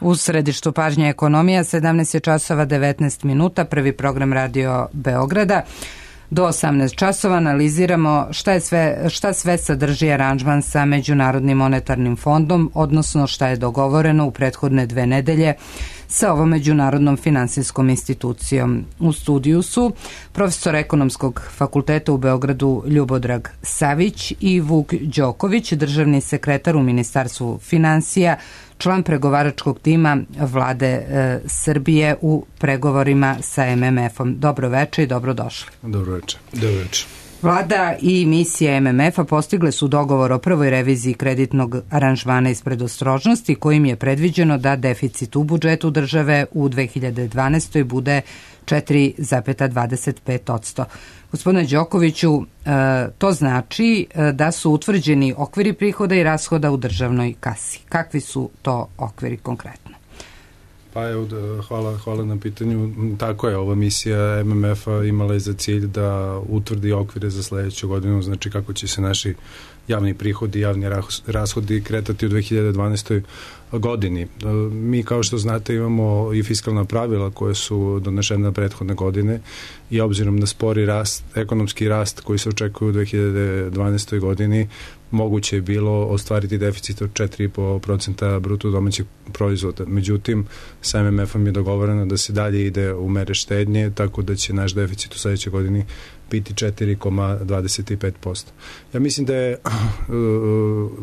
U središtu pažnje ekonomija, 17 je časova 19 minuta, prvi program Radio Beograda. Do 18 časova analiziramo šta sve sadrži aranžman sa Međunarodnim monetarnim fondom, odnosno šta je dogovoreno u prethodne 2 nedelje sa ovom međunarodnom finansijskom institucijom. U studiju su profesor Ekonomskog fakulteta u Beogradu Ljubodrag Savić i Vuk Đoković, državni sekretar u Ministarstvu finansija, član pregovaračkog tima Vlade Srbije u pregovorima sa MMF-om. Dobro večer i dobrodošli. Dobro večer. Dobro večer. Vlada i misija MMF-a postigle su dogovor o prvoj reviziji kreditnog aranžmana iz predostrožnosti, kojim je predviđeno da deficit u budžetu države u 2012. bude 4,25%. Gospodine Đokoviću, to znači da su utvrđeni okviri prihoda i rashoda u državnoj kasi. Kakvi su to okviri konkretno? Pa evo, hvala na pitanju. Tako je, ova misija MMF-a imala je za cilj da utvrdi okvire za sledeću godinu, znači kako će se naši javni prihodi i javni rashodi kretati u 2012. godini. Mi, kao što znate, imamo i fiskalna pravila koje su donešene prethodne godine i obzirom na spori rast, ekonomski rast koji se očekuje u 2012. godini, moguće je bilo ostvariti deficit od 4,5% bruto domaćeg proizvoda. Međutim, sa MMF-om je dogovoreno da se dalje ide u mere štednje, tako da će naš deficit u sledećoj godini biti 4,25%. Ja mislim da je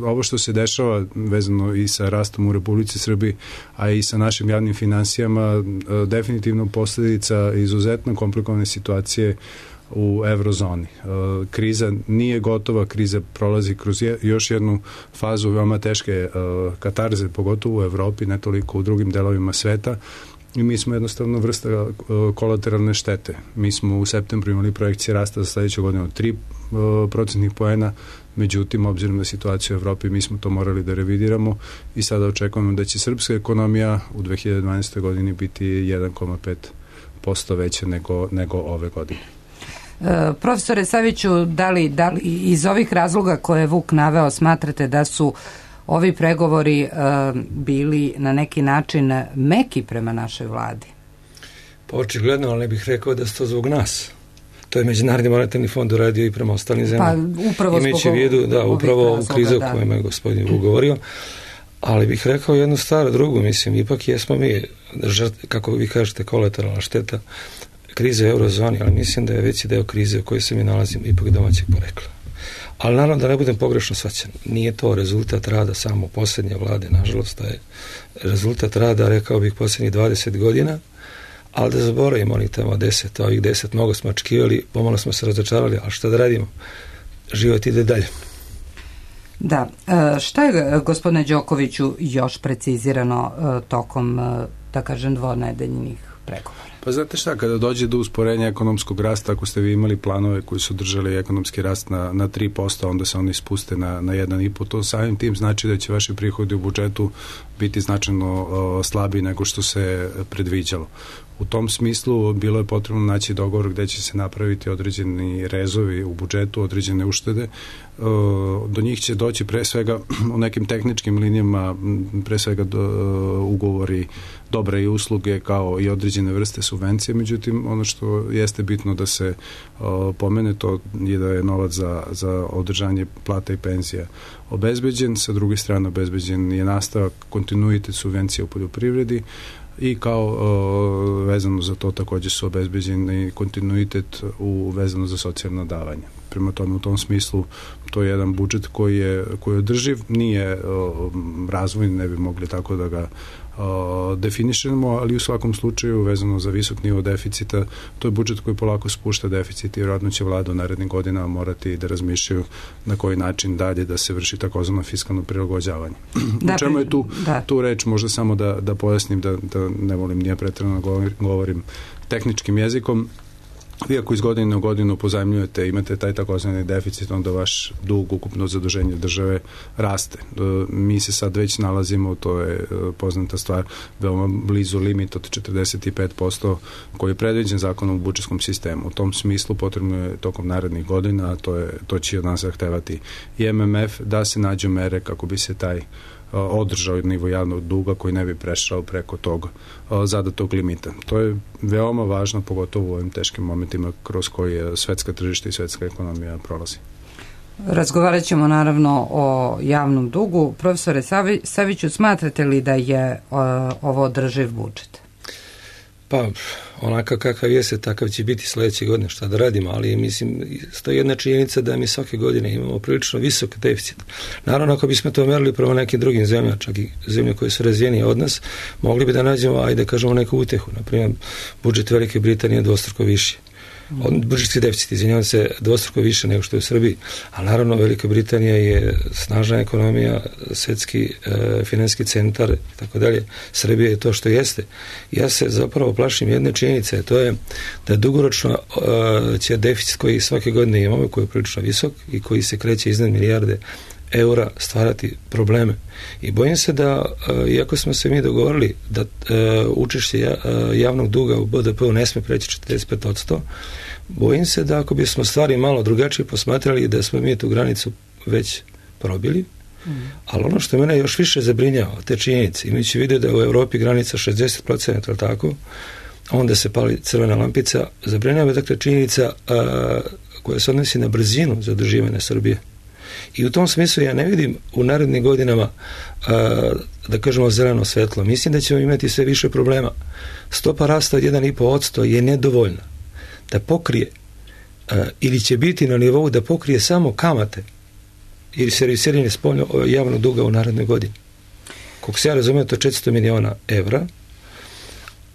ovo što se dešava vezano i sa rastom u Republici Srbiji, a i sa našim javnim finansijama, definitivno posljedica izuzetno komplikovane situacije u eurozoni. Kriza nije gotova, kriza prolazi kroz još jednu fazu veoma teške katarze, pogotovo u Evropi, ne toliko u drugim delovima sveta, i mi smo jednostavno vrsta kolateralne štete. Mi smo u septembru imali projekcije rasta za sledeću godinu od 3% poena, međutim, obzirom na situaciju u Evropi, mi smo to morali da revidiramo i sada očekujemo da će srpska ekonomija u 2012. godini biti 1,5% veća nego ove godine. Profesore Saviću, da li iz ovih razloga koje je Vuk naveo smatrate da su ovi pregovori bili na neki način meki prema našoj vladi? Pa očigledno, ali ne bih rekao da su to zbog nas. To je Međunarodni monetarni fond uradio i prema ostalim zemljama. Pa upravo imajući u vidu, upravo u krizu o kojima je gospodin Vuk govorio. Ali bih rekao jednu stvar, drugu, mislim, ipak jesmo mi, kako vi kažete, kolateralna šteta krize u eurozoni, ali mislim da je veći deo krize u kojoj se mi nalazimo ipak domaćeg porekla. Ali naravno da ne budem pogrešno shvaćen. Nije to rezultat rada samo posljednje vlade, nažalost, da je rezultat rada, rekao bih, posljednjih 20 godina, ali da zaboravimo onih tamo 10, ovih 10 mnogo smo očekivali, pomalo smo se razočarali, ali šta da radimo? Život ide dalje. Da. Šta je, gospodine Đokoviću, još precizirano tokom, da kažem, dvonedeljnih pregovora? Pa znate šta, kada dođe do usporenja ekonomskog rasta, ako ste vi imali planove koji su držali ekonomski rast na 3%, onda se oni spuste na 1,5%, to samim tim znači da će vaši prihodi u budžetu biti značajno slabiji nego što se predviđalo. U tom smislu bilo je potrebno naći dogovor gde će se napraviti određeni rezovi u budžetu, određene uštede. Do njih će doći pre svega u nekim tehničkim linijama, pre svega ugovori, dobre i usluge kao i određene vrste subvencije, međutim ono što jeste bitno da se pomene, to je da je novac za održanje plata i penzija obezbeđen, sa druge strane obezbeđen je nastavak kontinuitet subvencija u poljoprivredi i kao vezano za to takođe su obezbeđeni kontinuitet vezano za socijalna davanja. Prema tome, u tom smislu to je jedan budžet koji je održiv, nije razvojni, ne bi mogli tako da ga definišemo, ali u svakom slučaju vezano za visok nivo deficita, to je budžet koji polako spušta deficit i vjerojatno će vlada u narednim godinama morati da razmišljaju na koji način dalje da se vrši takozvano fiskalno prilagođavanje. U čemu je tu reč, možda samo da pojasnim, da ne volim nije pretjerano govorim tehničkim jezikom. Vi ako iz godine u godinu pozajmljujete, imate taj takozvani deficit, onda vaš dug, ukupno zaduženje države raste. Mi se sad već nalazimo, to je poznata stvar, veoma blizu limit od 45% koji je predviđen zakonom u budžetskom sistemu. U tom smislu potrebno je tokom narednih godina, a to će od nas zahtevati i MMF, da se nađu mere kako bi se taj održao nivo javnog duga koji ne bi prešao preko tog zadatog limita. To je veoma važno, pogotovo u ovim teškim momentima kroz koji svetska tržišta i svetska ekonomija prolazi. Razgovarat ćemo naravno o javnom dugu. Profesore Saviću, smatrate li da je ovo održiv budžet? Pa, onakav kakav jeste, takav će biti sledeće godine, šta da radimo, ali mislim, stoji jedna činjenica da mi svake godine imamo prilično visok deficit. Naravno, ako bismo to merili prema nekim drugim zemljama, čak i zemlje koje su razvijenije od nas, mogli bi da nađemo, ajde kažemo, neku utehu. Naprimjer, budžet Velike Britanije je dvostruko viši. Budžetski deficit, izvinjavam se, dvostruko više nego što je u Srbiji, a naravno Velika Britanija je snažna ekonomija, svetski finansijski centar i tako dalje. Srbija je to što jeste. Ja se zapravo plašim jedne činjenice, to je da dugoročno će deficit koji svake godine imamo, koji je prilično visok i koji se kreće iznad milijarde eura, stvarati probleme. I bojim se da, iako smo se mi dogovorili da učešće javnog duga u BDP-u ne sme preći 45%, bojim se da ako bismo stvari malo drugačije posmatrali, da smo mi tu granicu već probili, ali ono što mene još više zabrinjava, te činjenice, imajući vidio da je u Evropi granica 60%, ali tako, onda se pali crvena lampica, zabrinjava dakle činjenica koja se odnosi na brzinu zaduživanja Srbije. I u tom smislu ja ne vidim u narednim godinama da kažemo zeleno svetlo. Mislim da ćemo imati sve više problema. Stopa rasta od 1,5% je nedovoljna da pokrije ili će biti na nivou da pokrije samo kamate ili servisiranje spoljno javnog duga u narednoj godini. Kako se ja razumijem, to je 400 miliona evra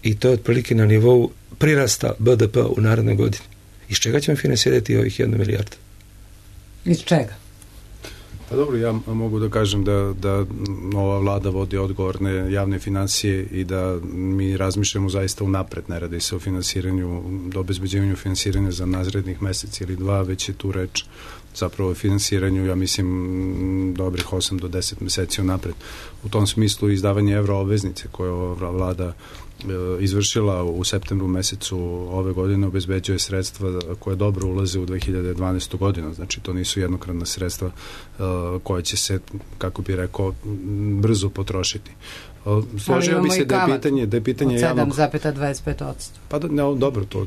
i to je otprilike na nivou prirasta BDP u narednoj godini. Iz čega ćemo finansirati ovih 1 milijardu? Iz čega? Pa dobro, ja mogu da kažem da ova vlada vodi odgovorne javne finansije i da mi razmišljamo zaista unapred, ne radi se o finansiranju, do obezbeđivanju finansiranja za narednih meseci ili 2, već je tu reč zapravo o finansiranju, ja mislim, dobrih 8 do 10 meseci unapred. U tom smislu izdavanje evroobveznice koje ova vlada izvršila u septembru mesecu ove godine obezbeđuje sredstva koje dobro ulaze u 2012. godinu. Znači, to nisu jednokratna sredstva koja će se, kako bi rekao, brzo potrošiti. Složio bi se da je pitanje javnog... 7,25%. Pa dobro, to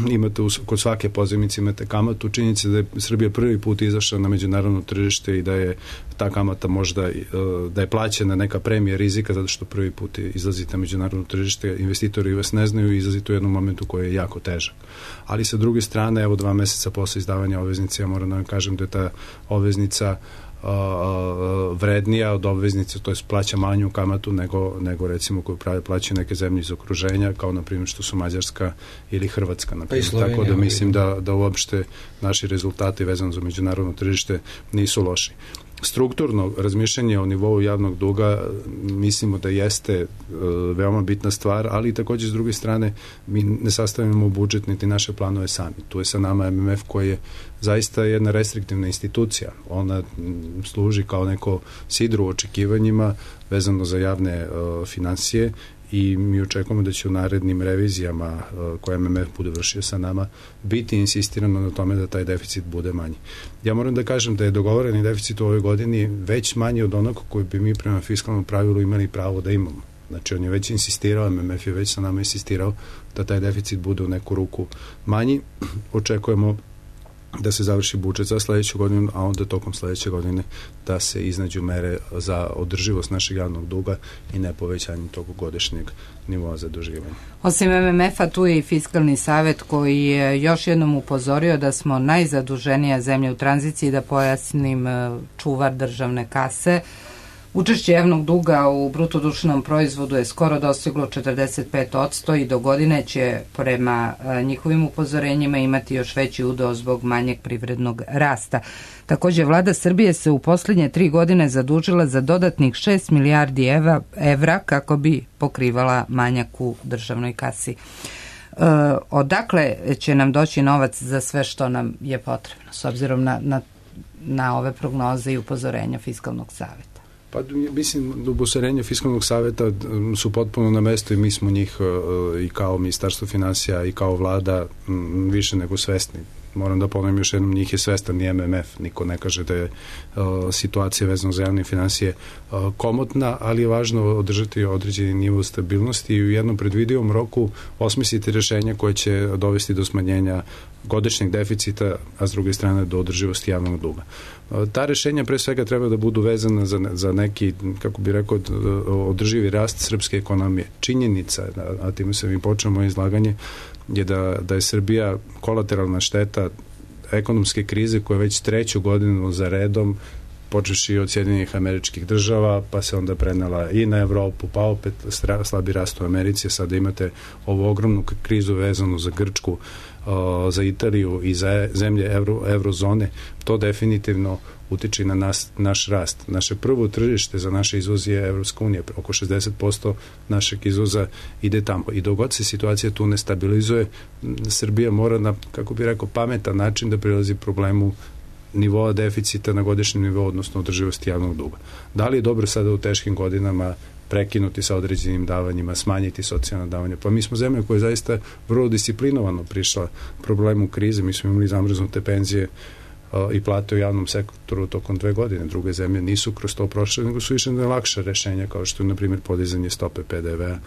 imate kod svake pozajmice imate kamatu. Činjenica da je Srbija prvi put izašla na međunarodno tržište i da je ta kamata možda da je plaćena neka premija rizika zato što prvi put izlazite na međunarodno tržište, investitori vas ne znaju i izlazite u jednom momentu koji je jako težak. Ali sa druge strane, evo 2 meseca posle izdavanja obveznice, ja moram da vam kažem da je ta obveznica vrednija od obveznice, to je plaća manju kamatu nego recimo koju plaćaju neke zemlje iz okruženja, kao na primjer što su Mađarska ili Hrvatska, na primjer. Tako da mislim da uopšte naši rezultati vezano za međunarodno tržište nisu loši. Strukturno razmišljanje o nivou javnog duga mislimo da jeste veoma bitna stvar, ali također s druge strane mi ne sastavljamo budžet niti naše planove sami. Tu je sa nama MMF koji je zaista jedna restriktivna institucija. Ona služi kao neko sidro u očekivanjima vezano za javne finansije i mi očekujemo da će u narednim revizijama koje MMF bude vršio sa nama biti insistirano na tome da taj deficit bude manji. Ja moram da kažem da je dogovoreni deficit u ovoj godini već manji od onog koji bi mi prema fiskalnom pravilu imali pravo da imamo. Znači on je već insistirao, MMF je već sa nama insistirao da taj deficit bude u neku ruku manji. Očekujemo da se završi budžet za sledeću godinu, a onda tokom sledeće godine da se iznađu mere za održivost našeg javnog duga i ne povećanje tog godišnjeg nivoa zaduživanja. Osim MMF-a, tu je i Fiskalni savet koji je još jednom upozorio da smo najzaduženija zemlja u tranziciji, da pojasnim, čuvar državne kase. Učešće javnog duga u bruto društvenom proizvodu je skoro dostiglo 45% i do godine će prema njihovim upozorenjima imati još veći udeo zbog manjeg privrednog rasta. Također, vlada Srbije se u posljednje 3 godine zadužila za dodatnih 6 milijardi evra kako bi pokrivala manjak u državnoj kasi. Odakle će nam doći novac za sve što nam je potrebno, s obzirom na ove prognoze i upozorenja Fiskalnog saveta? Pa mislim, upozorenja Fiskalnog saveta su potpuno na mestu i mi smo njih i kao Ministarstvo finansija i kao vlada više nego svesni. moram da ponovim još jednom, njih je svestan ni MMF, niko ne kaže da je situacija vezana za javne financije komotna, ali je važno održati određeni nivo stabilnosti i u jednom predvidivom roku osmisliti rešenja koje će dovesti do smanjenja godišnjeg deficita, a s druge strane do održivosti javnog duga. Ta rešenja pre svega treba da budu vezana za neki, kako bi rekao, održivi rast srpske ekonomije. Činjenica, a time sam i počeo moje izlaganje, je da je Srbija kolateralna šteta ekonomske krize koja već 3. godinu za redom, počeši od Sjedinjenih Američkih Država, pa se onda prenela i na Evropu, pa opet slabi rast u Americi, sada imate ovu ogromnu krizu vezanu za Grčku, za Italiju i za zemlje eurozone. To definitivno utiče na naš rast. Naše prvo tržište za naše izvoz je Evropska unija. Oko 60% našeg izvoza ide tamo. I dok god se situacija tu ne stabilizuje, Srbija mora na, kako bi rekao, pametan način da prilazi problemu nivoa deficita na godišnjem nivou, odnosno održivosti javnog duga. Da li je dobro sada u teškim godinama prekinuti sa određenim davanjima, smanjiti socijalna davanja? Pa mi smo zemlja koja je zaista vrlo disciplinovano prišla problemu krize. Mi smo imali zamrznute penzije i plate u javnom sektoru tokom 2 godine. Druge zemlje nisu kroz to prošle, nego su išle na lakša rešenja, kao što je, na primjer, podizanje stope PDV-a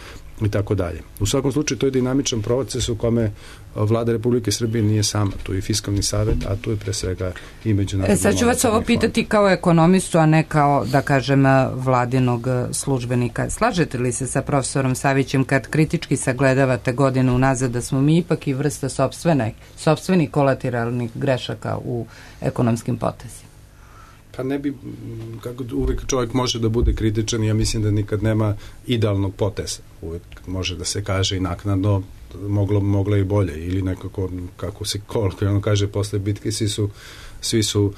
i tako dalje. U svakom slučaju, to je dinamičan proces u kome Vlada Republike Srbije nije sama. Tu je Fiskalni savet, a tu je pre svega i međunarodni. Sad ću vas ovo pitati kao ekonomistu, a ne kao, da kažem, vladinog službenika. Slažete li se sa profesorom Savićem kad kritički sagledavate godinu unazad da smo mi ipak i vrsta sopstvenih kolateralnih grešaka u ekonomskim potezima? Pa ne bi, kako uvek čovjek može da bude kritičan, ja mislim da nikad nema idealnog poteza. Uvek može da se kaže i naknadno moglo i bolje, ili nekako, kako se kolokvijalno kaže, posle bitke svi su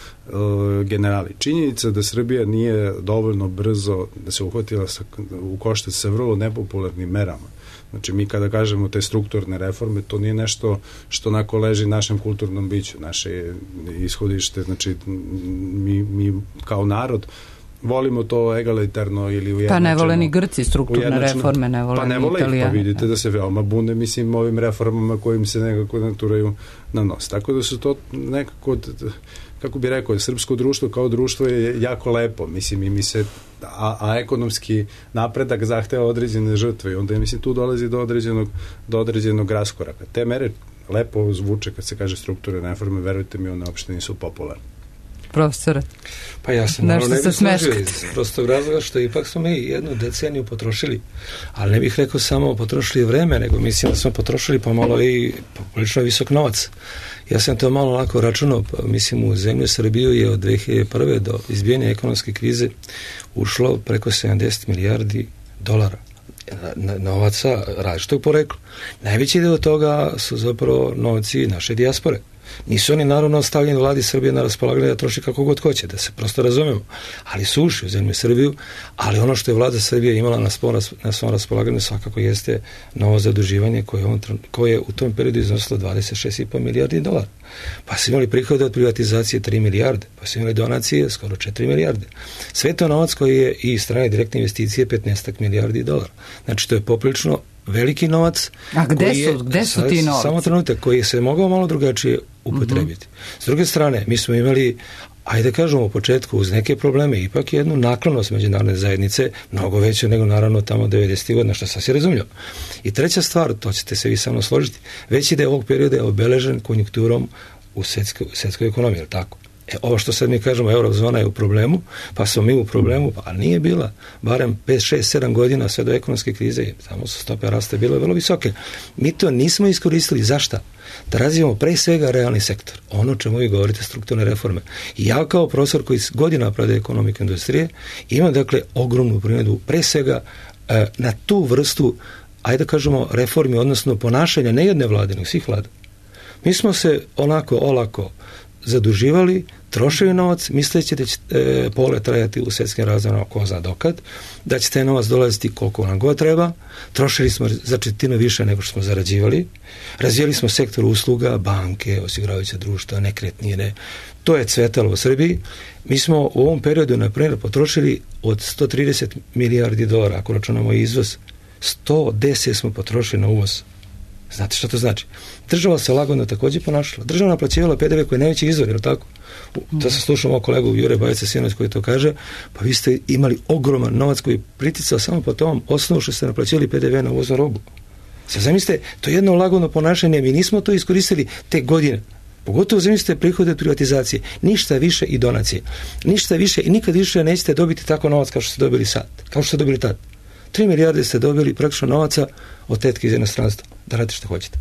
generali. Činjenica da Srbija nije dovoljno brzo da se uhvatila u koštac sa vrlo nepopularnim merama. Znači, mi kada kažemo te strukturne reforme, to nije nešto što onako leži našem kulturnom biću, naše ishodište. Znači, mi kao narod volimo to egalitarno ili ujednačeno. Pa ne vole ni Grci strukturne reforme, ne vole ni Italijani. Pa vidite da se veoma bune, mislim, ovim reformama kojim se nekako naturaju na nos. Tako da su to nekako, kako bi rekao, srpsko društvo kao društvo je jako lepo, mislim, i mi se, a ekonomski napredak zahteva određene žrtve i onda, mislim, tu dolazi do određenog raskoraka. Te mere lepo zvuče kad se kaže strukturne reforme, verujte mi, one uopšte nisu popularne. Profesore, pa ja sam malo ne bih složio iz prostog razloga što ipak smo mi 1 deceniju potrošili, ali ne bih rekao samo potrošili vreme, nego mislim da smo potrošili pomalo i poprilično visok novac. Ja sam to malo lako računao, mislim u zemlju Srbiju je od 2001. do izbijanja ekonomske krize ušlo preko 70 milijardi dolara novaca različitog porekla. Najveći deo toga su zapravo novci naše dijaspore. Nisu oni naravno ostavljeni vladi Srbije na raspolaganje da troši kako god hoće, da se prosto razumemo, ali su ušli u zemlju Srbiju, ali ono što je vlada Srbije imala na svom raspolaganju svakako jeste novo zaduživanje koje je u tom periodu iznosilo 26,5 milijardi dolara. Pa su imali prihode od privatizacije 3 milijarde, pa su imali donacije skoro 4 milijarde. Sve to novac koji je i strane direktne investicije 15 milijardi dolara. Znači to je poprilično veliki novac. A gde su ti novci? Samo trenutak, koji se mogao malo drugačije upotrebiti. S druge strane, mi smo imali, ajde kažemo u početku, uz neke probleme, ipak jednu naklonost međunarodne zajednice, mnogo veće nego naravno tamo 90. godina, što sasvim razumljivo. I treća stvar, to ćete se vi sa mnom složiti, veći deo ovog perioda je obeležen konjunkturom u svetskoj ekonomiji, je li tako? Ovo što sad mi kažemo, eurozona je u problemu, pa smo mi u problemu, pa nije bila, barem 5, 6, 7 godina sve do ekonomske krize, tamo su stope rasta bile vrlo visoke. Mi to nismo iskoristili. Zašto? Da razvijemo pre svega realni sektor. Ono čemu vi govorite, strukturne reforme. I ja kao profesor koji godina predaje ekonomiku industrije, imam dakle ogromnu primjedbu pre svega na tu vrstu, ajde da kažemo, reformi, odnosno ponašanja ne jedne vlade, nego svih vlada. Mi smo se onako olako zaduživali, trošili novac, misleći da će pole trajati u svjetskim razvojima ko zna dokad, da će taj novac dolaziti koliko nam god treba, trošili smo za četvrtinu više nego što smo zarađivali, razvijali smo sektor usluga, banke, osiguravajuća društva, nekretnine, to je cvetalo u Srbiji. Mi smo u ovom periodu, na primjer, potrošili od 130 milijardi dolara, ako računamo izvoz, 110 smo potrošili na uvoz. Znate šta to znači? Država se lagano također ponašala. Država naplaćivala PDV koji je najveći izvor, je li tako? To sam slušao moj kolegu Jure Bajica sinoć koji to kaže, pa vi ste imali ogroman novac koji je priticao samo po tom osnovu što ste naplaćivali PDV na uvoznu robu. Sad zamislite, to je jedno lagano ponašanje, mi nismo to iskoristili te godine. Pogotovo zamislite prihode od privatizacije. Ništa više i donacije. Ništa više i nikad više nećete dobiti tako novac kao što ste dobili sad. Kao što ste dobili tad. 3 milijarde ste dobili praktično novaca od tetke iz inostranstva. Da radite što hoćete.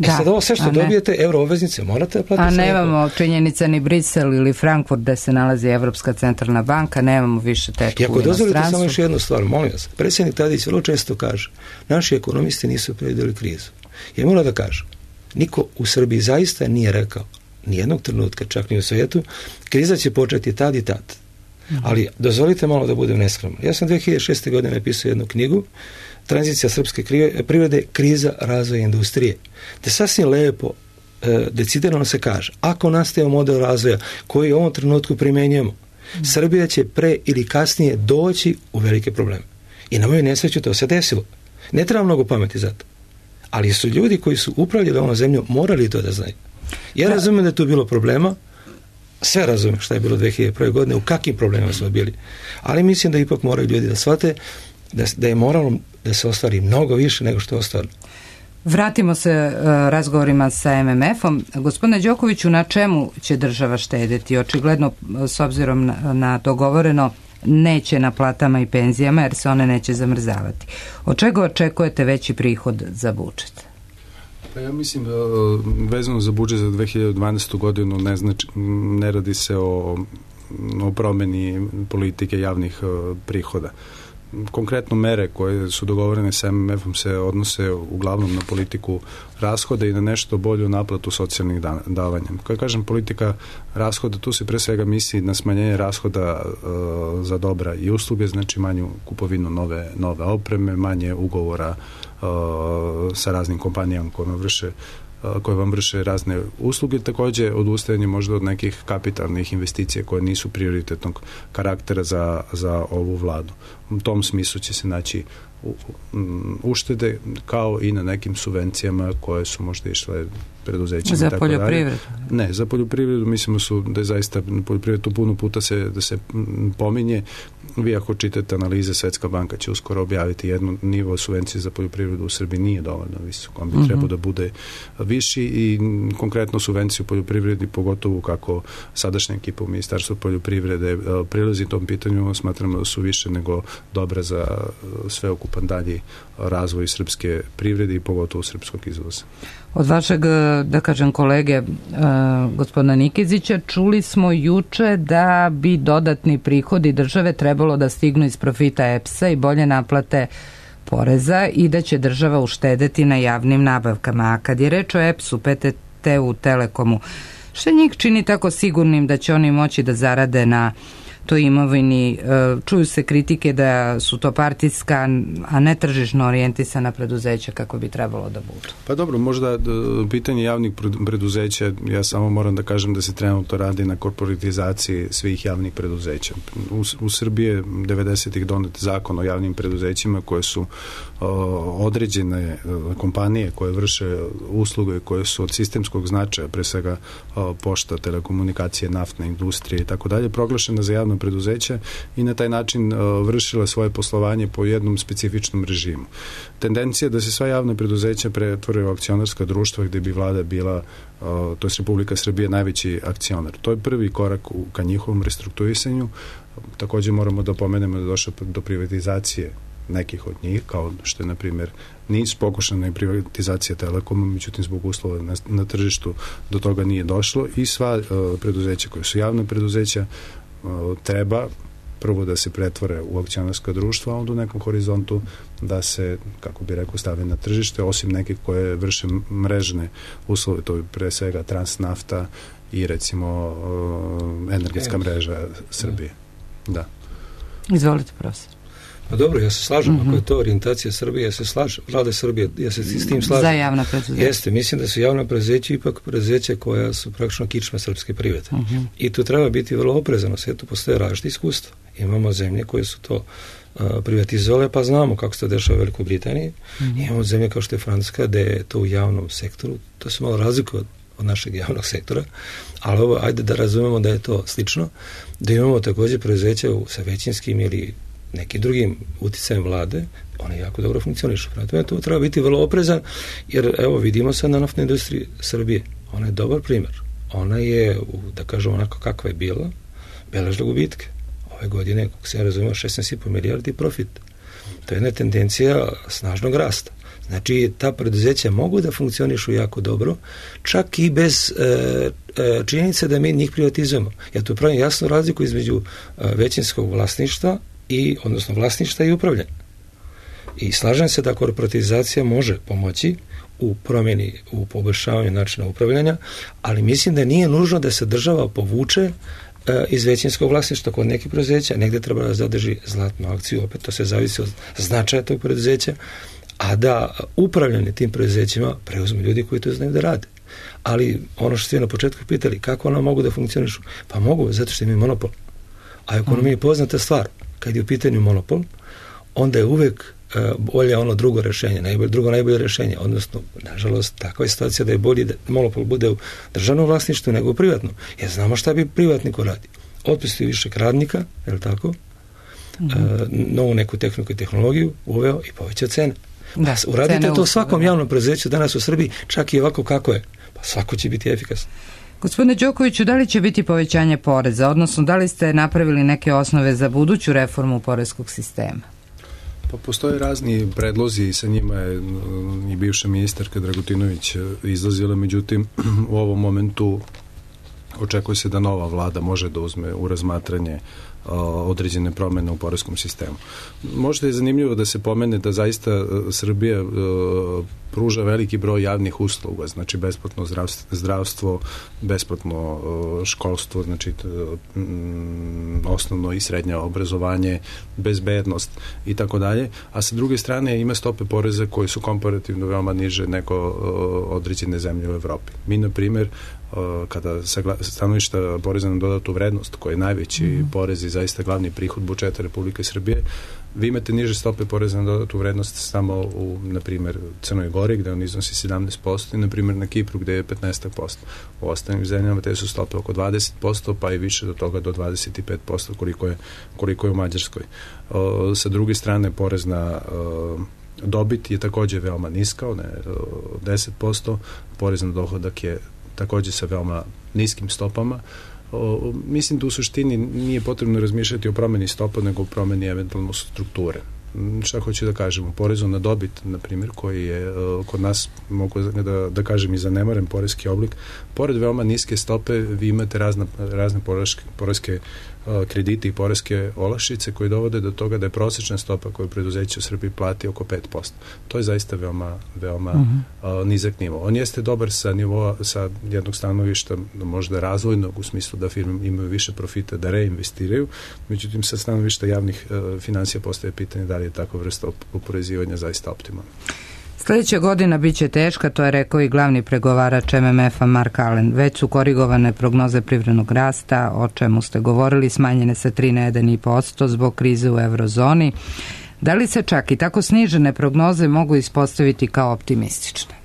Sad ovo sve što dobijete, euro obveznice, morate da platiti. A nemamo činjenica ni Brisel ili Frankfurt gde se nalazi Evropska centralna banka, nemamo više tetku u inostranstvu. I ako dozvolite samo još jednu stvar, molim vas, predsjednik Tadić vrlo često kaže, naši ekonomisti nisu predvidjeli krizu. Ja moram da kažem, niko u Srbiji zaista nije rekao, nijednog trenutka, čak ni u svijetu, kriza će početi tad i tad. Ali dozvolite malo da budem neskroman. Ja sam 2006. godine napisao jednu knjigu, Tranzicija srpske privrede, kriza razvoja industrije. Da sasvim lepo, decidirano se kaže, ako nastaje model razvoja koji u ovom trenutku primjenjujemo, Srbija će pre ili kasnije doći u velike probleme. I na moju nesreću to se desilo. Ne treba mnogo pameti za to. Ali su ljudi koji su upravljali ovom zemljom morali to da znaju. Ja razumijem da je tu bilo problema, sve razumijem šta je bilo 2001. godine, u kakvim problemima smo bili. Ali mislim da ipak moraju ljudi da shvate da je moralno da se ostvari mnogo više nego što je ostvarno. Vratimo se razgovorima sa MMF-om. Gospodine Đokoviću, na čemu će država štedeti? Očigledno, s obzirom na dogovoreno, neće na platama i penzijama, jer se one neće zamrzavati. Od čega očekujete veći prihod za budžet? Pa ja mislim, vezano za budžet za 2012. godinu ne radi se o promjeni politike javnih prihoda. Konkretno mere koje su dogovorene sa MMF-om se odnose uglavnom na politiku rashoda i na nešto bolju naplatu socijalnih davanja. Kada kažem politika rashoda, tu se pre svega misli na smanjenje rashoda za dobra i usluge, znači manju kupovinu nove opreme, manje ugovora sa raznim kompanijama koje vam vrše razne usluge, također odustajanje možda od nekih kapitalnih investicija koje nisu prioritetnog karaktera za ovu vladu. U tom smislu će se naći uštede kao i na nekim subvencijama koje su možda išle preduzećima. Za poljoprivredu? Ne, za poljoprivredu mislimo da je zaista poljoprivredu puno puta da se pominje. Vi ako čitate analize, Svetska banka će uskoro objaviti jednu nivo subvencije za poljoprivredu u Srbiji nije dovoljno visoko. On bi trebao da bude viši i konkretno subvenciju u poljoprivredi, pogotovo kako sadašnja ekipa u Ministarstvu poljoprivrede prilazi tom pitanju, smatramo da su više nego dobra za sveukupan dalji razvoj srpske privrede i pogotovo srpskog izvoza. Od vašeg, da kažem, kolege gospodina Nikezića čuli smo juče da bi dodatni prihodi države trebalo da stignu iz profita EPS-a i bolje naplate poreza i da će država uštedeti na javnim nabavkama. A kad je reč o EPS-u, PTT-u, Telekomu, što njih čini tako sigurnim da će oni moći da zarade na toj imovini? Čuju se kritike da su to partijska, a ne tržišno orijentisana preduzeća kako bi trebalo da budu. Pa dobro, možda pitanje javnih preduzeća, ja samo moram da kažem da se trenutno radi na korporatizaciji svih javnih preduzeća. U Srbiji je 90-ih donet zakon o javnim preduzećima koje su određene kompanije koje vrše usluge koje su od sistemskog značaja, pre svega pošta, telekomunikacije, naftne industrije i tako dalje, proglašena za javno preduzeća i na taj način vršila svoje poslovanje po jednom specifičnom režimu. Tendencija da se sva javna preduzeća pretvore u akcionarska društva gde bi vlada bila, to je Republika Srbije, najveći akcionar. To je prvi korak ka njihovom restrukturisanju. Također moramo da pomenemo da je došlo do privatizacije nekih od njih, kao što je, na primjer, NIS, pokušana je privatizacija Telekoma, međutim zbog uslova na tržištu do toga nije došlo i sva preduzeća koje su javne preduzeća treba prvo da se pretvore u akcionarska društva, a onda u nekom horizontu da se, kako bi rekao, stave na tržište, osim nekih koje vrše mrežne uslove, to je pre svega Transnafta i recimo energetska mreža Srbije. Da. Izvolite, profesor. Pa dobro, ja se slažem, ako je to orijentacija Srbije, ja se slažem, vlade Srbije, ja se s tim slažem. Za javna preduzeća. Jeste, mislim da su javna preduzeća ipak preduzeća koja su praktično kičma srpske privrede. I tu treba biti vrlo oprezano, sve tu postoje različite iskustva. Imamo zemlje koje su to privatizovale, pa znamo kako se to dešava u Velikoj Britaniji. Imamo zemlje kao što je Francuska, gde je to u javnom sektoru, to se malo razlikuje od našeg javnog sektora, ali ovo, ajde da razumemo da je to slično, da imamo također preduzeća sa većinskim ili nekim drugim uticajem vlade, one jako dobro funkcionišu. To treba biti vrlo oprezan, jer evo vidimo sad na naftnoj industriji Srbije, ona je dobar primjer. Ona je, da kažem onako kakva je bila, beležila gubitke. Ove godine, kako se ja razumio, 16,5 milijardi profit. To je jedna tendencija snažnog rasta. Znači, ta preduzeća mogu da funkcionišu jako dobro, čak i bez činjenice da mi njih privatizujemo. Ja tu pravim jasnu razliku između većinskog vlasništva odnosno vlasništva i upravljanja. I slažem se da korporatizacija može pomoći u promjeni, u poboljšavanju načina upravljanja, ali mislim da nije nužno da se država povuče iz većinskog vlasništva kod nekih preduzeća. Negdje treba da zadrži zlatnu akciju, opet to se zavisi od značaja tog preduzeća, a da upravljanje tim preduzećima preuzmu ljudi koji to znaju da rade. Ali ono što ste na početku pitali, kako ona mogu da funkcionišu? Pa mogu, zato što imaju monopol. A ekonomija je poznata stvar. Kad je u pitanju monopol, onda je uvek bolje ono drugo rješenje, najbolje rješenje, odnosno, nažalost, takva je situacija da je bolje da monopol bude u državnom vlasništvu nego u privatnom. Jer znamo šta bi privatniku radi. Otpusti višeg radnika, je li tako? Novu neku tehniku i tehnologiju uveo i povećao cene. Da, uradite to svakom javnom preduzeću danas u Srbiji, čak i ovako kako je. Pa svako će biti efikasno. Gospodine Đokoviću, da li će biti povećanje poreza, odnosno da li ste napravili neke osnove za buduću reformu poreskog sistema? Pa postoje razni predlozi i sa njima je i bivša ministarka Dragutinović izlazila, međutim u ovom momentu očekuje se da nova vlada može da uzme u razmatranje određene promjene u poreskom sistemu. Možda je zanimljivo da se pomene da zaista Srbija pruža veliki broj javnih usluga, znači besplatno zdravstvo, besplatno školstvo, znači osnovno i srednje obrazovanje, bezbednost i tako dalje, a sa druge strane ima stope poreza koje su komparativno veoma niže nego određene zemlje u Evropi. Mi, na primjer, kada stanovišta poreza na dodatu vrednost, koji je najveći porez i zaista glavni prihod budžeta Republike Srbije, vi imate niže stope poreza na dodatu vrednost samo u, na primjer, Crnoj Gori, gde on iznosi 17% i, na primjer, na Kipru, gde je 15%. U ostalim zemljama te su stope oko 20%, pa i više do toga do 25%, koliko je u Mađarskoj. Sa druge strane, porez na dobit je također veoma niska, 10%, porez na dohodak je također sa veoma niskim stopama. Mislim da u suštini nije potrebno razmišljati o promjeni stopa, nego o promjeni eventualno strukture. Šta hoću da kažem, u porezu na dobit, na primjer, koji je kod nas, mogu da kažem, i zanemaren poreski oblik, pored veoma niske stope vi imate razne poreske kredite i poreske olakšice koji dovode do toga da je prosječna stopa koju preduzeće u Srbiji plati oko 5%. To je zaista veoma nizak nivo. On jeste dobar sa jednog stanovišta možda razvojnog, u smislu da firme imaju više profita da reinvestiraju, međutim sa stanovišta javnih finansija postaje pitanje da li je takva vrsta oporezivanja zaista optimalna. Sljedeća godina bit će teška, to je rekao i glavni pregovarač MMF-a Mark Allen. Već su korigovane prognoze privrednog rasta, o čemu ste govorili, smanjene sa 3 na 1,5% zbog krize u eurozoni. Da li se čak i tako snižene prognoze mogu ispostaviti kao optimistične?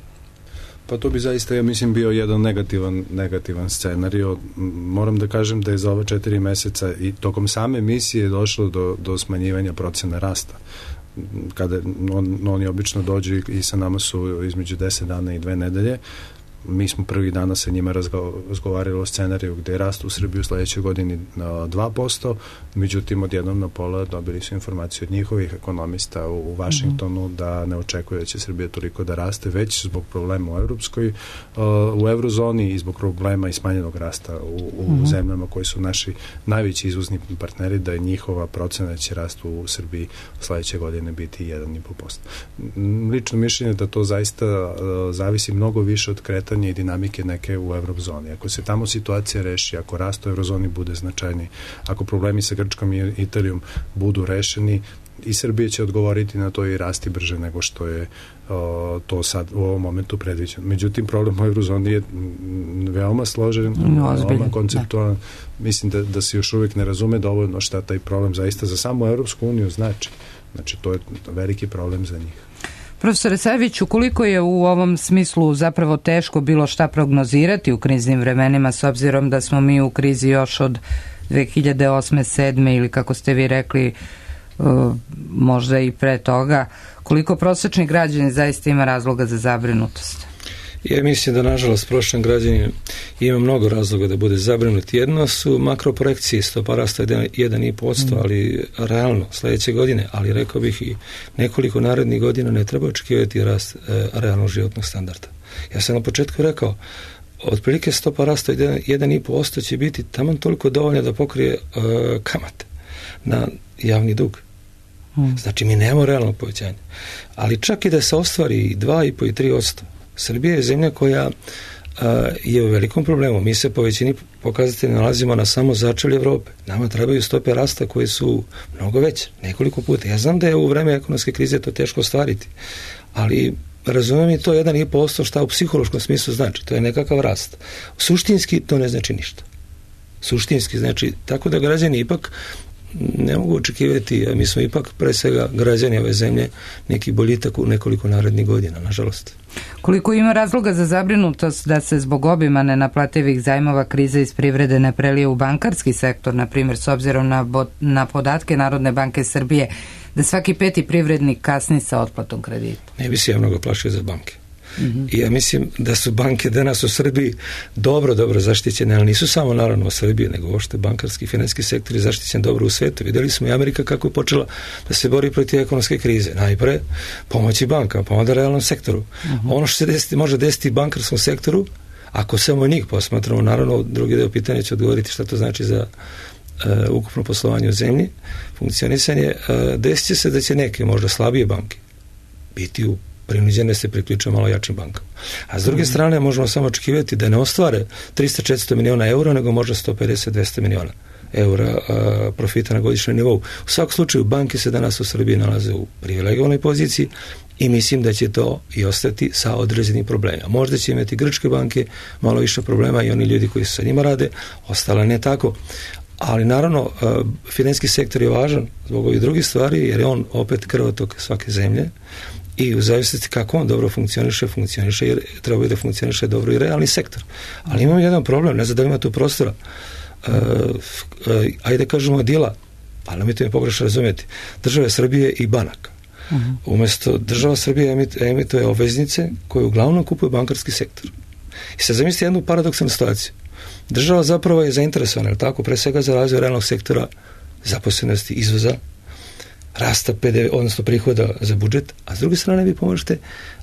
Pa to bi zaista, ja mislim, bio jedan negativan scenarij. Moram da kažem da je za ova 4 meseca i tokom same misije došlo do smanjivanja procena rasta. Kada oni obično dođu i sa nama su između 10 dana i 2 nedelje. Mi smo prvih dana sa njima razgovarali o scenariju gde je rast u Srbiji u sledećoj godini na 2%, međutim odjednom na pola dobili su informaciju od njihovih ekonomista u Vašingtonu da ne očekuje da će Srbija toliko da raste, već zbog problema u eurozoni i zbog problema i smanjenog rasta u zemljama koji su naši najveći izvozni partneri, da je njihova procena da će rast u Srbiji u sledeće godine biti 1,5%. Lično mišljenje da to zaista zavisi mnogo više od kretanja i dinamike neke u eurozoni. Ako se tamo situacija reši, ako rast u eurozoni bude značajni, ako problemi sa Grčkom i Italijom budu rešeni, i Srbija će odgovoriti na to i rasti brže nego što je to sad u ovom momentu predviđeno. Međutim, problem u eurozoni je veoma složen, veoma konceptualan. Mislim da se još uvijek ne razume dovoljno šta taj problem zaista za samu Europsku uniju znači. Znači, to je veliki problem za njih. Profesore Saviću, koliko je u ovom smislu zapravo teško bilo šta prognozirati u kriznim vremenima, s obzirom da smo mi u krizi još od 2008. 2007. ili kako ste vi rekli, možda i pre toga, koliko prosječni građani zaista ima razloga za zabrinutost? Ja mislim da, nažalost, prosječan građanin ima mnogo razloga da bude zabrinut. Jedno su makroprojekcije, stopa rasta 1,5%, ali realno sledeće godine, ali rekao bih i nekoliko narednih godina ne treba očekivati rast realnog životnog standarda. Ja sam na početku rekao, otprilike stopa rasta 1,5% će biti taman toliko dovoljno da pokrije kamate na javni dug. Znači, mi nemamo realno povećanje. Ali čak i da se ostvari 2,5 i 3%, Srbija je zemlja koja je u velikom problemu. Mi se po većini pokazatelja nalazimo na samo začelju Evrope. Nama trebaju stope rasta koje su mnogo veće, nekoliko puta. Ja znam da je u vreme ekonomske krize to teško ostvariti, ali razumijem i to 1,5% šta u psihološkom smislu znači. To je nekakav rast. Suštinski to ne znači ništa. Suštinski znači, tako da građani ipak ne mogu očekivati, a mi smo ipak pre svega građani ove zemlje, neki boljitak u nekoliko narednih godina, nažalost. Koliko ima razloga za zabrinutost da se zbog obima nenaplativih zajmova kriza iz privrede ne prelije u bankarski sektor, na primjer, s obzirom na podatke Narodne banke Srbije, da svaki 5. privrednik kasni sa otplatom kredita? Ne bi se ja mnogo plašio za banke. I ja mislim da su banke danas u Srbiji dobro zaštićene, ali nisu samo naravno u Srbiji, nego uopšte bankarski i financijski sektor je zaštićen dobro u svetu. Videli smo i Amerika kako je počela da se bori protiv ekonomske krize. Najpre pomoći bankama, pa onda realnom sektoru. Ono što se može desiti bankarskom sektoru, ako samo njih posmatramo, naravno drugi deo pitanja će odgovoriti šta to znači za ukupno poslovanje u zemlji, funkcionisanje, desit će se da će neke možda slabije banke biti prinuđene se priključuju malo jačim bankama. A s druge strane možemo samo očekivati da ne ostvare 300-400 miliona eura, nego možda 150-200 miliona eura profita na godišnjem nivou. U svakom slučaju banke se danas u Srbiji nalaze u privilegovanoj poziciji i mislim da će to i ostati sa određenim problemima. Možda će imati grčke banke malo više problema i oni ljudi koji sa njima rade, ostale ne tako. Ali naravno, financijski sektor je važan zbog ovih drugih stvari, jer je on opet krvotok svake zemlje i u zavisnosti kako on dobro funkcioniše jer treba da funkcioniše dobro i realni sektor. Ali imamo jedan problem, ne znam da ima tu prostora. Ajde kažemo dila, ali nemojte me pogrešno razumjeti, države Srbije i banaka. Umjesto država Srbije emituje obveznice koje uglavnom kupuje bankarski sektor. I sad zamislite jednu paradoksalnu situaciju. Država zapravo je zainteresovana, tako, pre svega za razvoj realnog sektora, zaposlenosti, izvoza, rasta PDV, odnosno prihoda za budžet, a s druge strane vi pomažete,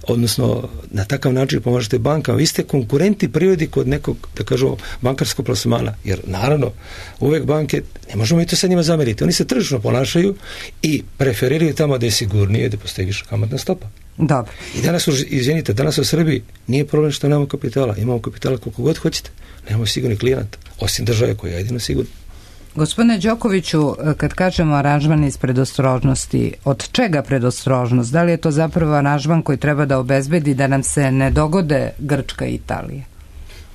odnosno na takav način pomažete bankama. Vi ste konkurenti privredi kod nekog, da kažemo, bankarskog plasmana, jer naravno uvek banke, ne možemo i to sa njima zameriti, oni se tržišno ponašaju i preferiraju tamo da je sigurnije, da postoji više kamatna stopa. Dobro. I danas u Srbiji nije problem što nemamo kapitala, imamo kapitala koliko god hoćete, nemamo sigurni klijenta, osim države koja je jedino sigurna. Gospodine Đokoviću, kad kažemo aranžman iz predostrožnosti, od čega predostrožnost? Da li je to zapravo aranžman koji treba da obezbedi da nam se ne dogode Grčka i Italija?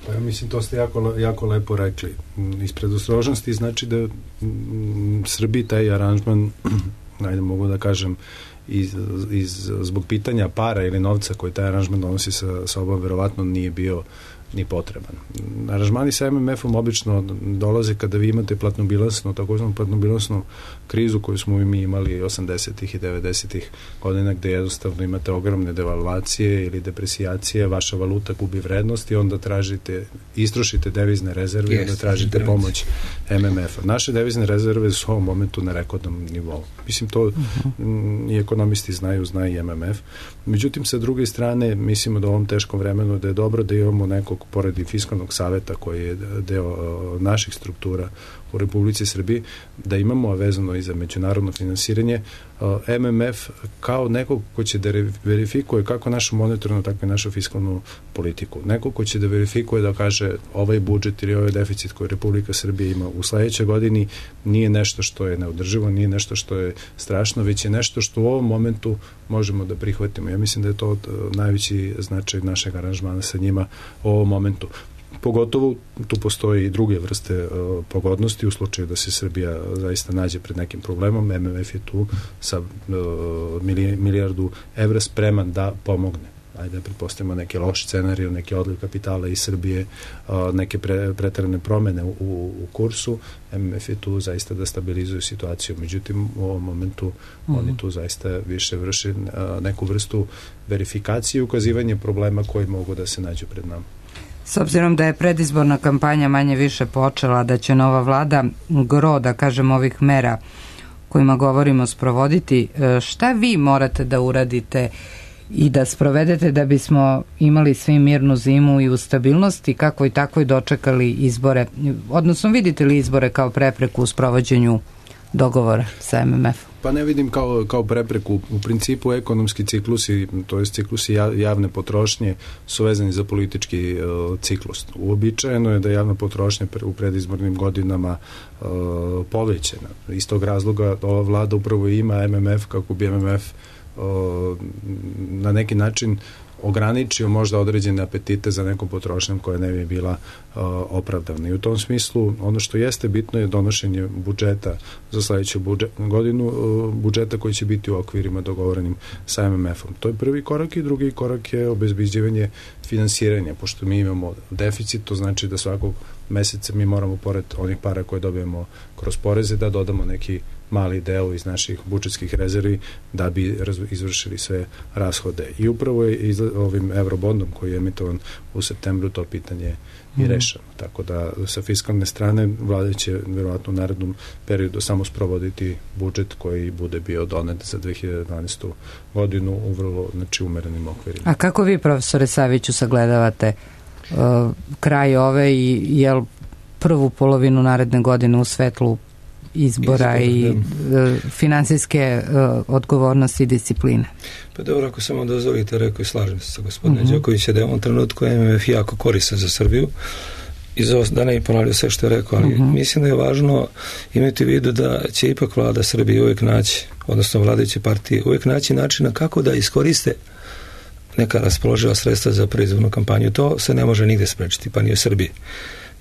Pa ja mislim, to ste jako lepo rekli. Iz predostrožnosti znači da Srbiji taj aranžman, najde mogu da kažem, zbog pitanja para ili novca koji taj aranžman donosi sa sobom, verovatno nije bio ni potreban. Aranžmani sa MMF-om obično dolaze kada vi imate platnobilansnu, takozvanu platnobilansnu krizu koju smo mi imali 80-ih i 90-ih godina, gde jednostavno imate ogromne devalvacije ili depresijacije, vaša valuta gubi vrednost i onda istrošite devizne rezerve i onda tražite pomoć MMF-a. Naše devizne rezerve su u ovom momentu na rekordnom nivou. Mislim, to i ekonomisti znaju, zna i MMF. Međutim, sa druge strane, mislimo da u ovom teškom vremenu da je dobro da imamo nekog, pored i fiskalnog saveta koji je deo naših struktura u Republici Srbiji, da imamo vezano i za međunarodno finansiranje MMF kao nekog ko će da verifikuje kako našu monetarnu, tako i našu fiskalnu politiku. Neko ko će da verifikuje, da kaže ovaj budžet ili ovaj deficit koji Republika Srbija ima u sledećoj godini nije nešto što je neodrživo, nije nešto što je strašno, već je nešto što u ovom momentu možemo da prihvatimo. Ja mislim da je to najveći značaj našeg aranžmana sa njima u ovom momentu. Pogotovo tu postoji i druge vrste pogodnosti u slučaju da se Srbija zaista nađe pred nekim problemom. MMF je tu sa milijardu evra spreman da pomogne. Ajde da pretpostavimo neke loše scenarije, neke odliv kapitala iz Srbije, neke preterane promene u kursu. MMF je tu zaista da stabilizuju situaciju. Međutim, u ovom momentu oni tu zaista više vrše neku vrstu verifikacije i ukazivanje problema koji mogu da se nađu pred nama. S obzirom da je predizborna kampanja manje više počela, da će nova vlada gro, da kažem, ovih mera kojima govorimo sprovoditi, šta vi morate da uradite i da sprovedete da bismo imali svi mirnu zimu i u stabilnosti, kako i tako i dočekali izbore, odnosno vidite li izbore kao prepreku u sprovođenju dogovora sa MMF-om? Pa ne vidim kao prepreku. U principu ekonomski ciklusi, to je ciklusi javne potrošnje, su vezani za politički ciklus. Uobičajeno je da javna potrošnja u predizbornim godinama povećena. Iz tog razloga ova vlada upravo ima MMF kako bi MMF na neki način ograničio možda određene apetite za nekom potrošnjom koja ne bi bila opravdavna. I u tom smislu ono što jeste bitno je donošenje budžeta za sledeću godinu, budžeta koji će biti u okvirima dogovorenim sa MMF-om. To je prvi korak i drugi korak je obezbeđivanje finansiranja. Pošto mi imamo deficit, to znači da svakog meseca mi moramo pored onih para koje dobijemo kroz poreze da dodamo neki mali deo iz naših budžetskih rezervi da bi izvršili sve rashode. I upravo je ovim eurobondom koji je emitovan u septembru to pitanje i rešeno. Tako da sa fiskalne strane vlada će verovatno u narednom periodu samo sprovoditi budžet koji bude bio donet za 2012. godinu u vrlo umerenim okvirima. A kako vi, profesore Saviću, sagledavate kraj ove i jel prvu polovinu naredne godine u svetlu izbora i finansijske odgovornosti i discipline? Pa dobro, ako samo dozvolite, rekao i slažem se sa gospodinom Đokovića da je u ovom trenutku MMF jako koristan za Srbiju i da ne ponavljaju sve što je rekao, ali mislim da je važno imati u vidu da će ipak vlada Srbije uvijek naći, odnosno vladajuće partije, uvijek naći načina kako da iskoriste neka raspoloživa sredstva za predizbornu kampanju. To se ne može nigde sprečiti, pa ni u Srbiji.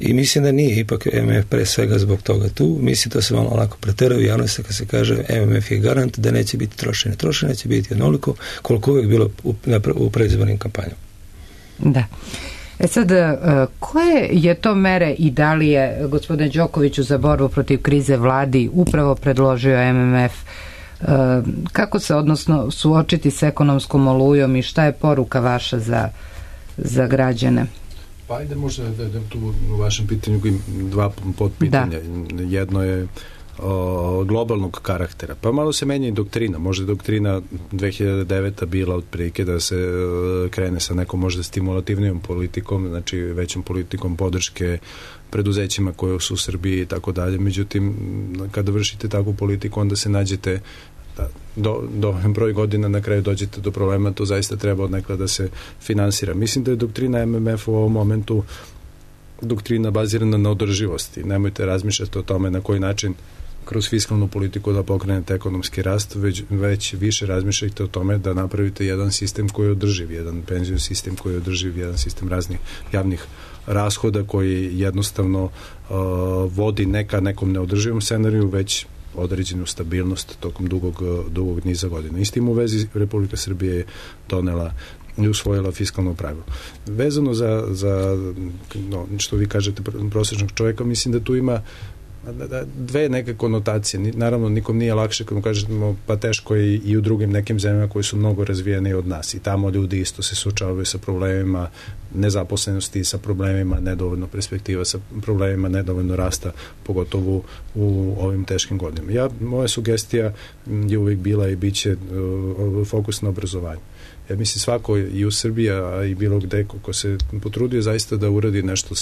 I mislim da nije ipak MMF pre svega zbog toga tu. Mislim da se malo onako preteraju u javnosti kad se kaže MMF je garant da neće biti trošenje. Trošenje će biti onoliko koliko uvijek bilo u predizbornim kampanjama. Da. Sad, koje je to mere i da li je gospodine Đokoviću za borbu protiv krize vladi upravo predložio MMF? Kako se odnosno suočiti s ekonomskom olujom i šta je poruka vaša za građane? Pa ajde možda da tu u vašem pitanju dva podpitanja. Da. Jedno je globalnog karaktera. Pa malo se menja i doktrina. Možda je doktrina 2009. bila otprilike da se krene sa nekom možda stimulativnijom politikom, znači većom politikom podrške preduzećima koje su u Srbiji i tako dalje. Međutim, kada vršite takvu politiku, onda se nađete do broj godina na kraju dođete do problema, to zaista treba odnekle da se finansira. Mislim da je doktrina MMF u ovom momentu doktrina bazirana na održivosti. Nemojte razmišljati o tome na koji način kroz fiskalnu politiku da pokrenete ekonomski rast, već više razmišljajte o tome da napravite jedan sistem koji je održiv, jedan penzijski sistem koji je održiv, jedan sistem raznih javnih rashoda koji jednostavno vodi nekom neodrživom scenariju, već određenu stabilnost tokom dugog niza godina. I s tim u vezi Republika Srbije je donela i usvojila fiskalno pravilo. Vezano za što vi kažete prosječnog čovjeka, mislim da tu ima dve neke konotacije. Naravno, nikom nije lakše kad mu kažemo pa teško je i u drugim nekim zemljama koji su mnogo razvijene od nas. I tamo ljudi isto se suočavaju sa problemima nezaposlenosti, sa problemima nedovoljno perspektiva, sa problemima nedovoljno rasta, pogotovo u ovim teškim godinama. Moja sugestija je uvijek bila i bit će fokus na obrazovanju. Ja mislim svako i u Srbiji, a i bilo gde ko se potrudio zaista da uradi nešto,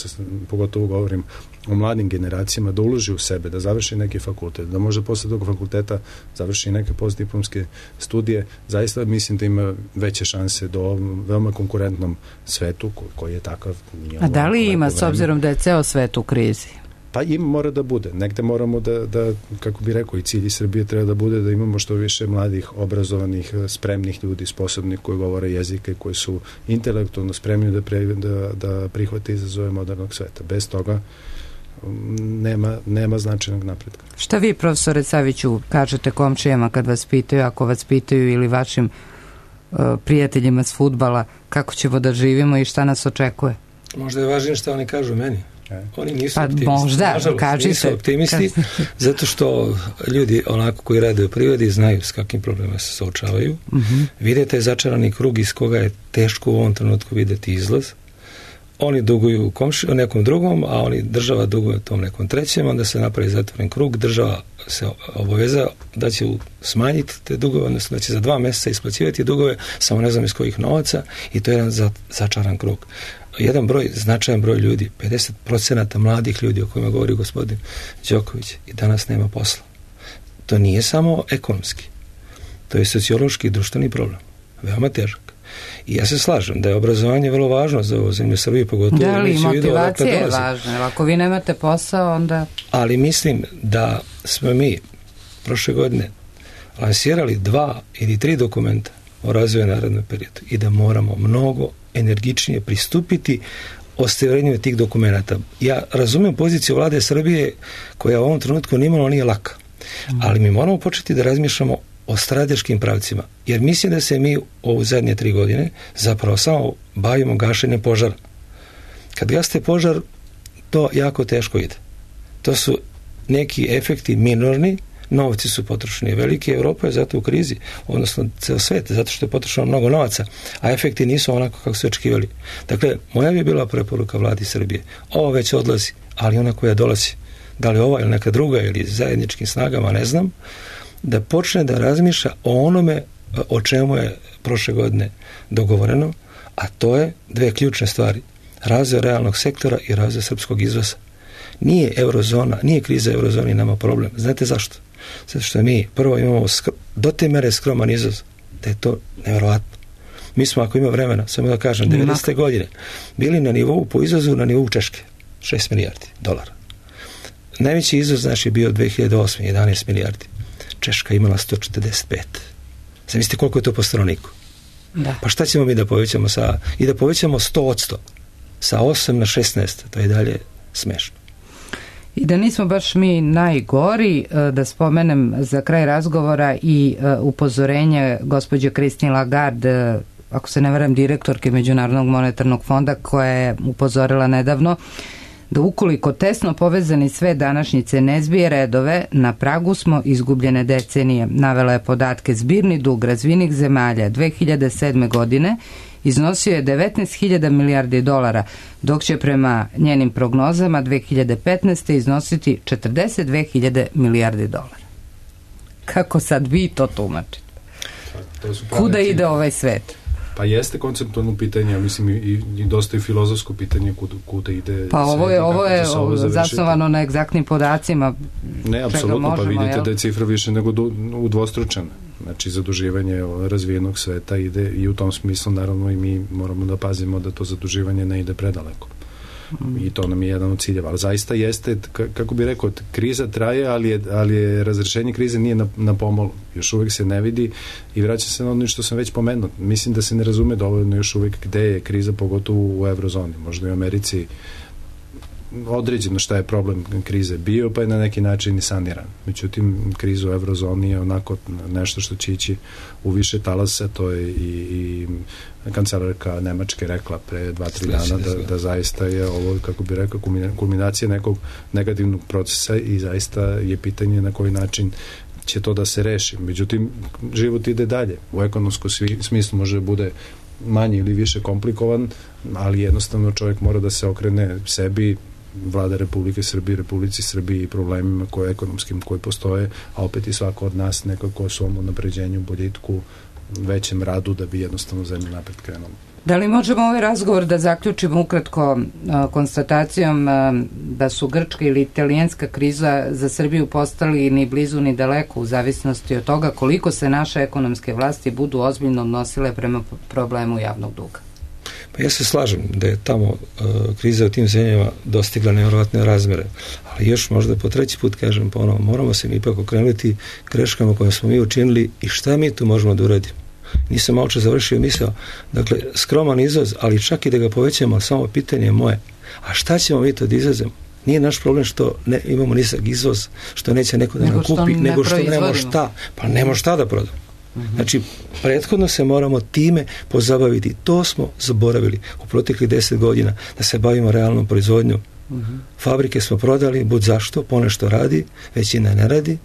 pogotovo govorim o mladim generacijama, da uloži u sebe, da završi neki fakultet, da možda posle tog fakulteta završi neke postdiplomske studije, zaista mislim da ima veće šanse do veoma konkurentnom svetu koji je takav. A da li ima, s obzirom da je ceo svet u krizi? Pa mora da bude. Negde moramo da, kako bi rekao, i cilj Srbije treba da bude da imamo što više mladih, obrazovanih, spremnih ljudi, sposobnih koji govore jezike, koji su intelektualno spremni da prihvate izazove modernog sveta. Bez toga nema značajnog napretka. Šta vi, profesore Saviću, kažete komšijama kad vas pitaju, ako vas pitaju, ili vašim prijateljima s fudbala, kako ćemo da živimo i šta nas očekuje? Možda je važnije šta oni kažu meni. Oni nisu optimisti. Možda, nisu optimisti, zato što ljudi onako koji rade u privodi znaju s kakvim problemima se suočavaju. Vide taj začarani krug iz koga je teško u ovom trenutku videti izlaz. Oni duguju nekom drugom, a država duguje tom nekom trećem, onda se napravi zatvoren krug, država se obaveza da će smanjiti te dugove, odnosno da će za 2 mjeseca isplaćivati dugove, samo ne znam iz kojih novaca, i to je jedan začaran krug. Značajan broj ljudi, 50% mladih ljudi o kojima govori gospodin Đoković, i danas nema posla. To nije samo ekonomski, to je sociološki i društveni problem, veoma težak. I ja se slažem da je obrazovanje vrlo važno za ovu zemlju Srbije, pogotovo. Da li motivacija je važna, ako vi nemate posao, onda... Ali mislim da smo mi prošle godine lansirali 2 ili 3 dokumenta o razvoju narednog periodu i da moramo mnogo energičnije pristupiti ostvarenju tih dokumenta. Ja razumijem poziciju vlade Srbije koja u ovom trenutku nimalo nije laka, ali mi moramo početi da razmišljamo o strateškim pravcima, jer mislim da se mi u zadnje 3 godine zapravo samo bavimo gašenjem požara. Kad gasite požar, to jako teško ide. To su neki efekti minorni, novci su potrošeni veliki, Evropa je zato u krizi, odnosno ceo svet, zato što je potrošeno mnogo novaca, a efekti nisu onako kako su očekivali. Dakle, moja bi bila preporuka vladi Srbije. Ovo već odlazi, ali ona koja dolazi, da li ova ili neka druga ili zajedničkim snagama, ne znam, da počne da razmišlja o onome o čemu je prošle godine dogovoreno, a to je 2 ključne stvari. Razvoj realnog sektora i razvoj srpskog izvoza. Nije eurozona, nije kriza eurozoni nama problem. Znate zašto? Zato što mi prvo imamo do te mere skroman izvoz, da je to nevjerovatno. Mi smo, ako ima vremena, samo da kažem, 90. godine bili na nivou po izvozu, na nivou Češke, 6 milijardi dolara. Najveći izvoz naš je bio 2008. 11 milijardi. Češka imala 145. Zamislite koliko je to po stanovniku. Da. Pa šta ćemo mi da povećamo i da povećamo 100%, sa 8 na 16, to je dalje smešno. I da nismo baš mi najgori, da spomenem za kraj razgovora i upozorenje gospođe Christine Lagarde, ako se ne varam, direktorke Međunarodnog monetarnog fonda, koja je upozorila nedavno da ukoliko tesno povezani sve današnjice ne zbije redove, na pragu smo izgubljene decenije. Navela je podatke: zbirni dug razvijenih zemalja 2007. godine iznosio je 19.000 milijardi dolara, dok će prema njenim prognozama 2015. iznositi 42.000 milijardi dolara. Kako sad vi to tumačite? Kuda ide ovaj svet? Pa jeste konceptualno pitanje, mislim i dosta i filozofsko pitanje kuda ide. Pa ovo je zasnovano na egzaktnim podacima. Ne, apsolutno, pa vidite da je cifra više nego udvostručena. Znači, zaduživanje razvijenog sveta ide i u tom smislu, naravno, i mi moramo da pazimo da to zaduživanje ne ide predaleko. I to nam je jedan od ciljeva. Ali zaista jeste, kako bi rekao, kriza traje, ali je razrešenje krize nije na pomolu. Još uvijek se ne vidi i vraća se na ono što sam već pomenuo. Mislim da se ne razume dovoljno još uvijek gde je kriza, pogotovo u eurozoni. Možda i u Americi određeno šta je problem krize bio, pa je na neki način i saniran. Međutim, kriza u eurozoni je onako nešto što će ići u više talasa, to je i kancelarka Nemačke rekla pre 2-3 dana da zaista je ovo, kako bi rekao, kulminacija nekog negativnog procesa i zaista je pitanje na koji način će to da se reši. Međutim, život ide dalje. U ekonomskom smislu može da bude manje ili više komplikovan, ali jednostavno čovjek mora da se okrene sebi, vlada Republike Srbije, Republici Srbiji i problemima ekonomskim koji postoje, a opet i svako od nas nekako o svom unapređenju, boljitku većem radu da bi jednostavno zemlja napred krenula. Da li možemo ovaj razgovor da zaključimo ukratko konstatacijom da su grčka ili italijanska kriza za Srbiju postali ni blizu ni daleko u zavisnosti od toga koliko se naše ekonomske vlasti budu ozbiljno odnosile prema problemu javnog duga? Pa ja se slažem da je tamo kriza u tim zemljama dostigla nevjerovatne razmere, ali još možda po treći put kažem ponovo, moramo se ipak okrenuti greškama koje smo mi učinili i šta mi tu možemo da uradimo. Nisam malo čas završio misao, dakle skroman izvoz, ali čak i da ga povećamo, samo pitanje je moje, a šta ćemo mi to da izvozimo? Nije naš problem što ne imamo nisak izvoz, što neće neko da nam kupi, nego što nemamo šta, pa nemamo šta da prodamo. Znači, prethodno se moramo time pozabaviti. To smo zaboravili u proteklih 10 godina, da se bavimo realnom proizvodnjom. Fabrike smo prodali, bud zašto, ponešto radi, većina ne radi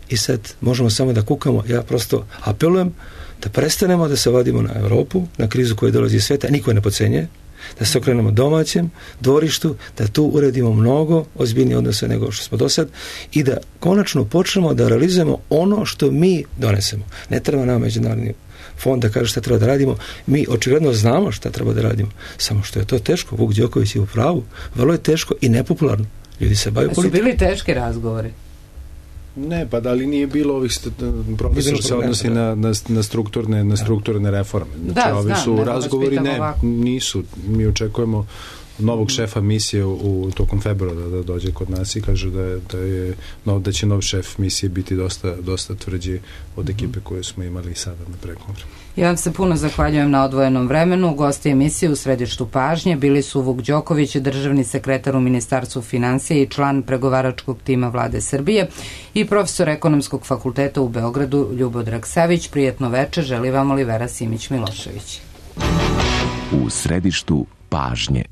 i sad možemo samo da kukamo. Ja prosto apelujem da prestanemo da se vadimo na Evropu, na krizu koja dolazi iz sveta, niko ne podcenjuje, da se okrenemo domaćem dvorištu, da tu uredimo mnogo ozbiljnije odnose nego što smo do sad i da konačno počnemo da realizujemo ono što mi donesemo. Ne treba nam međunarodni fond da kaže šta treba da radimo. Mi očigledno znamo šta treba da radimo. Samo što je to teško. Vuk Đoković je u pravu. Vrlo je teško i nepopularno. Ljudi se bave politikom. Su bili teški razgovori? Ne, pa da li nije bilo ovih profesor se odnosi na strukturne reforme. Znači, ovi su razgovori, nisu. Mi očekujemo novog šefa misije u tokom februara da dođe kod nas i kaže da će nov šef misije biti dosta tvrđi od ekipe koje smo imali sada na pregovoru. Ja vam se puno zahvaljujem na odvojenom vremenu. Gosti emisije u središtu pažnje bili su Vuk Đoković, državni sekretar u Ministarstvu finansija i član pregovaračkog tima Vlade Srbije i profesor Ekonomskog fakulteta u Beogradu Ljubodrag Savić. Prijetno večer, želi vam Olivera Simić-Milošević. U središtu pažnje.